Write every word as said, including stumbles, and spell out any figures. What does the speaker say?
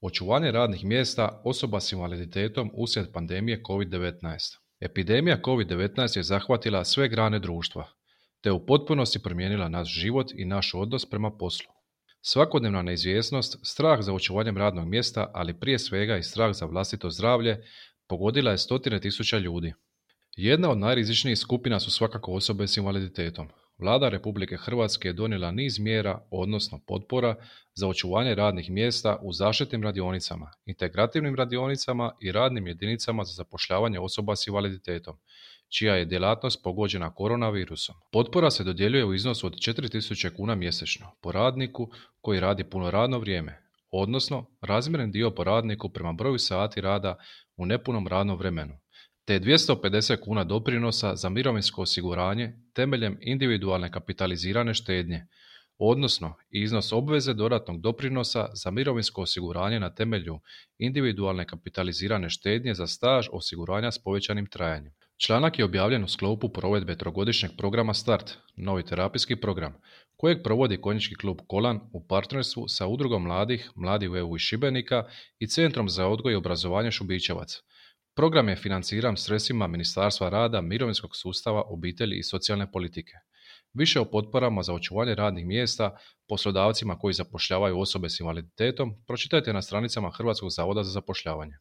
Očuvanje radnih mjesta osoba s invaliditetom uslijed pandemije kovid devetnaest. Epidemija kovid devetnaest je zahvatila sve grane društva, te u potpunosti promijenila naš život i naš odnos prema poslu. Svakodnevna neizvjesnost, strah za očuvanjem radnog mjesta, ali prije svega i strah za vlastito zdravlje, pogodila je stotine tisuća ljudi. Jedna od najrizičnijih skupina su svakako osobe s invaliditetom. Vlada Republike Hrvatske je donijela niz mjera, odnosno potpora, za očuvanje radnih mjesta u zaštitnim radionicama, integrativnim radionicama i radnim jedinicama za zapošljavanje osoba s invaliditetom, čija je djelatnost pogođena koronavirusom. Potpora se dodjeljuje u iznosu od četiri tisuće kuna mjesečno po radniku koji radi puno radno vrijeme, odnosno razmjeren dio po radniku prema broju sati rada u nepunom radnom vremenu, te dvjesto pedeset kuna doprinosa za mirovinsko osiguranje temeljem individualne kapitalizirane štednje, odnosno iznos obveze dodatnog doprinosa za mirovinsko osiguranje na temelju individualne kapitalizirane štednje za staž osiguranja s povećanim trajanjem. Članak je objavljen u sklopu provedbe trogodišnjeg programa Start, novi terapijski program, kojeg provodi Konjički klub Kolan u partnerstvu sa Udrugom mladih, Mladi u E U iz Šibenika i Centrom za odgoj i obrazovanje Šubićevac. Program je financiran sredstvima Ministarstva rada, mirovinskog sustava, obitelji i socijalne politike. Više o potporama za očuvanje radnih mjesta poslodavcima koji zapošljavaju osobe s invaliditetom pročitajte na stranicama Hrvatskog zavoda za zapošljavanje.